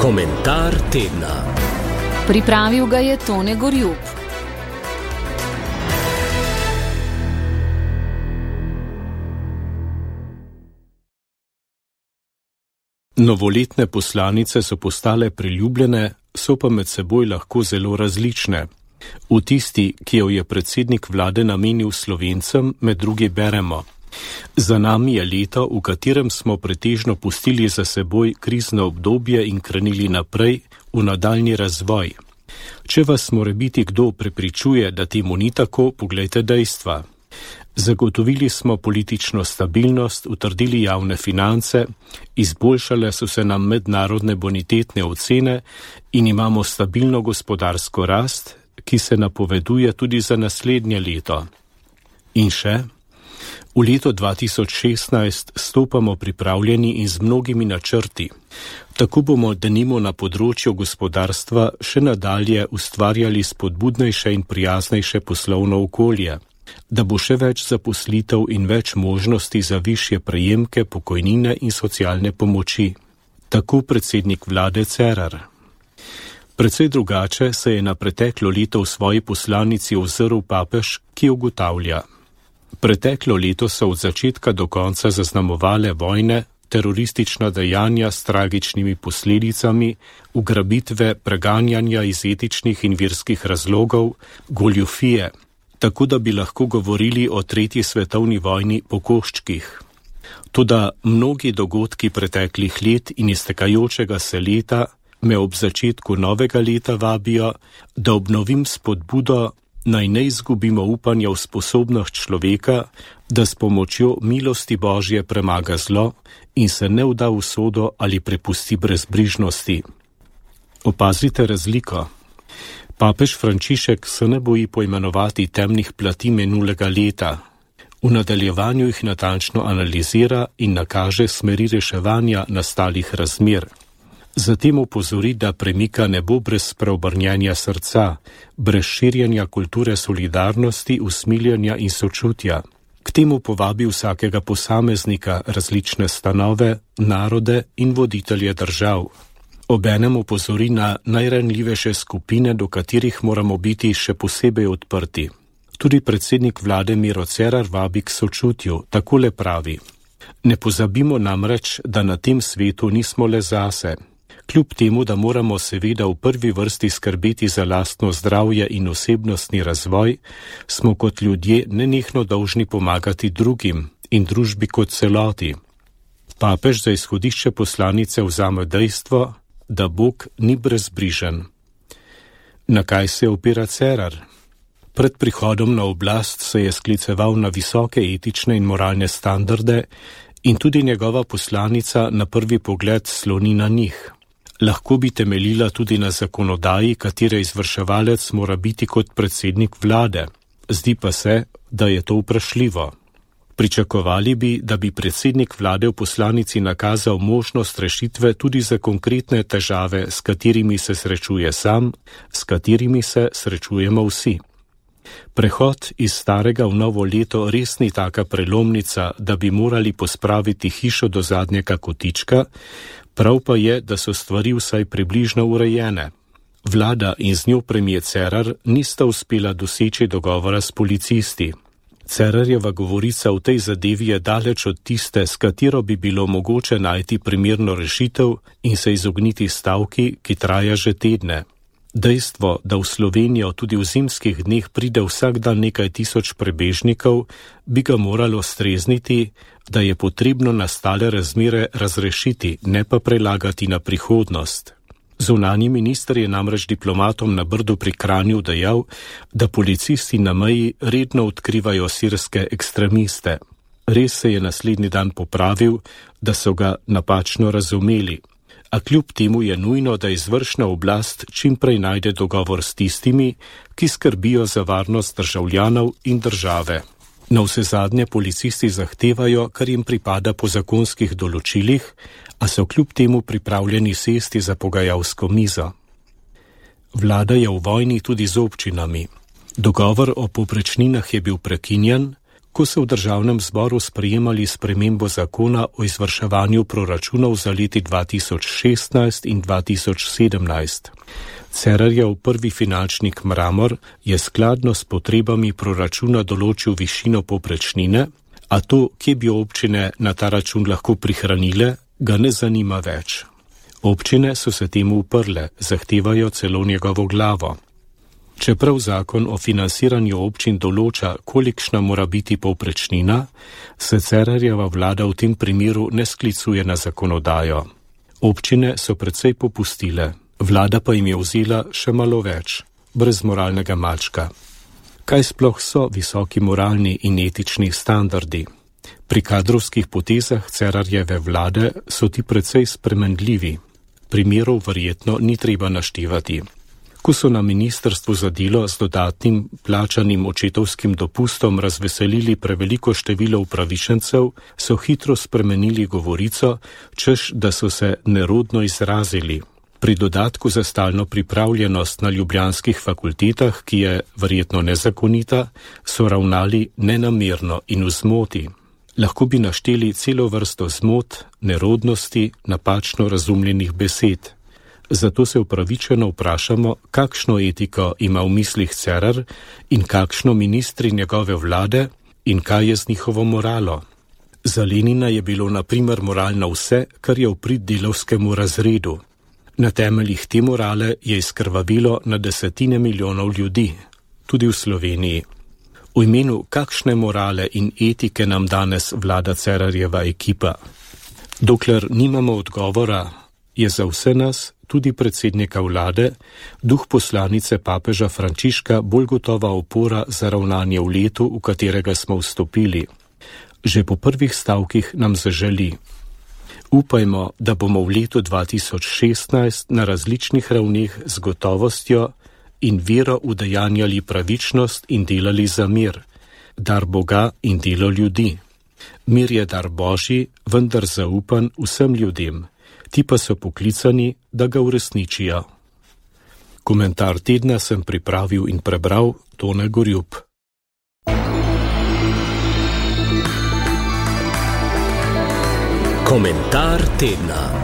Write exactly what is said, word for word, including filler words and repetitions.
Komentar tedna. Pripravil ga je Tone Gorjup. Novoletne poslanice so postale priljubljene, so pa med seboj lahko zelo različne. V tisti, ki jo je predsednik vlade namenil Slovencem, med drugi beremo: za nami je leto, v katerem smo pretežno pustili za seboj krizno obdobje in krenili naprej v nadaljnji razvoj. Če vas morebiti kdo prepričuje, da temu ni tako, poglejte dejstva. Zagotovili smo politično stabilnost, utrdili javne finance, izboljšale so se nam mednarodne bonitetne ocene in imamo stabilno gospodarsko rast, ki se napoveduje tudi za naslednje leto. In še, v leto dva tisoč šestnajst stopamo pripravljeni in z mnogimi načrti. Tako bomo denimo na področju gospodarstva še nadalje ustvarjali spodbudnejše in prijaznejše poslovno okolje, da bo še več zaposlitev in več možnosti za višje prejemke, pokojnine in socialne pomoči. Tako predsednik vlade Cerar. Precej drugače se je na preteklo leto v svoji poslanici ozrl papež, ki ugotavlja: preteklo leto so od začetka do konca zaznamovale vojne, teroristična dejanja s tragičnimi posledicami, ugrabitve, preganjanja iz etičnih in verskih razlogov, goljufije, tako da bi lahko govorili o tretji svetovni vojni po koščkih. Toda mnogi dogodki preteklih let in iztekajočega se leta me ob začetku novega leta vabijo, da obnovim spodbudo, naj ne izgubimo upanja v sposobnost človeka, da s pomočjo milosti Božje premaga zlo in se ne vda v usodo ali prepusti brezbrižnosti. Opazite razliko. Papež Frančišek se ne boji poimenovati temnih plati minulega leta. V nadaljevanju jih natančno analizira in nakaže smeri reševanja nastalih razmer. Zatem opozori, da premika ne bo brez preobrnjenja srca, brez širjenja kulture solidarnosti, usmiljenja in sočutja. K temu povabi vsakega posameznika, različne stanove, narode in voditelje držav. Obenem opozori na najranljivejše skupine, do katerih moramo biti še posebej odprti. Tudi predsednik vlade Miro Cerar vabi k sočutju, takole pravi: ne pozabimo namreč, da na tem svetu nismo le zase. Kljub temu, da moramo seveda v prvi vrsti skrbeti za lastno zdravje in osebnostni razvoj, smo kot ljudje nenehno dolžni pomagati drugim in družbi kot celoti. Papež za izhodišče poslanice vzame dejstvo, da Bog ni brezbrižen. Na kaj se opira Cerar? Pred prihodom na oblast se je skliceval na visoke etične in moralne standarde in tudi njegova poslanica na prvi pogled sloni na njih. Lahko bi temeljila tudi na zakonodaji, katere izvrševalec mora biti kot predsednik vlade. Zdi pa se, da je to vprašljivo. Pričakovali bi, da bi predsednik vlade v poslanici nakazal možnost rešitve tudi za konkretne težave, s katerimi se srečuje sam, s katerimi se srečujemo vsi. Prehod iz starega v novo leto res ni taka prelomnica, da bi morali pospraviti hišo do zadnjega kotička, prav pa je, da so stvari vsaj približno urejene. Vlada in z njo premier Cerar nista uspela doseči dogovora s policisti. Cerarjeva govorica v tej zadevi je daleč od tiste, s katero bi bilo mogoče najti primerno rešitev in se izogniti stavki, ki traja že tedne. Dejstvo, da v Slovenijo tudi v zimskih dneh pride vsak dan nekaj tisoč prebežnikov, bi ga moralo strezniti, da je potrebno nastale razmere razrešiti, ne pa prelagati na prihodnost. Zunanji minister je namreč diplomatom na Brdu pri Kranju dejal, da policisti na meji redno odkrivajo sirske ekstremiste. Res se je naslednji dan popravil, da so ga napačno razumeli. A kljub temu je nujno, da izvršna oblast čim prej najde dogovor s tistimi, ki skrbijo za varnost državljanov in države. Navsezadnje policisti zahtevajo, kar jim pripada po zakonskih določilih, a so kljub temu pripravljeni sesti za pogajalsko mizo. Vlada je v vojni tudi z občinami. Dogovor o povprečninah je bil prekinjen, Ko so v državnem zboru sprejemali spremembo zakona o izvrševanju proračunov za leti dva tisoč šestnajst in dva tisoč sedemnajst. Cerarjev prvi finančnik Mramor je skladno s potrebami proračuna določil višino povprečnine, a to, kje bi občine na ta račun lahko prihranile, ga ne zanima več. Občine so se temu uprle, zahtevajo celo njegovo glavo. Čeprav zakon o financiranju občin določa, kolikšna mora biti povprečnina, se Cerarjeva vlada v tem primeru ne sklicuje na zakonodajo. Občine so precej popustile, vlada pa jim je vzela še malo več, brez moralnega mačka. Kaj sploh so visoki moralni in etični standardi? Pri kadrovskih potezah Cerarjeve vlade so ti precej spremenljivi. Primerov verjetno ni treba naštevati. Ko so na ministrstvu za delo z dodatnim plačanim očetovskim dopustom razveselili preveliko število upravičencev, so hitro spremenili govorico, češ da so se nerodno izrazili. Pri dodatku za stalno pripravljenost na ljubljanskih fakultetah, ki je verjetno nezakonita, so ravnali nenamerno in v zmoti. Lahko bi našteli celo vrsto zmot, nerodnosti, napačno razumljenih besed. Zato se upravičeno vprašamo, kakšno etiko ima v mislih Cerar in kakšno ministri njegove vlade in kaj je z njihovo moralo. Za Lenina je bilo na primer moralno vse, kar je v prid delavskemu razredu. Na temeljih te morale je izkrvavilo na desetine milijonov ljudi, tudi v Sloveniji. V imenu kakšne morale in etike nam danes vlada Cerarjeva ekipa? Dokler nimamo odgovora, je za vse nas, tudi predsednika vlade, duh poslanice papeža Frančiška bolj gotova opora za ravnanje v letu, v katerega smo vstopili. Že po prvih stavkih nam zaželi. Upajmo, da bomo v letu dva tisoč šestnajst na različnih ravneh z gotovostjo in vero udejanjali pravičnost in delali za mir, dar Boga in delo ljudi. Mir je dar Božji, vendar zaupan vsem ljudem. Ti pa so poklicani, da ga uresničijo. Komentar tedna sem pripravil in prebral Tone Gorjup. Komentar tedna.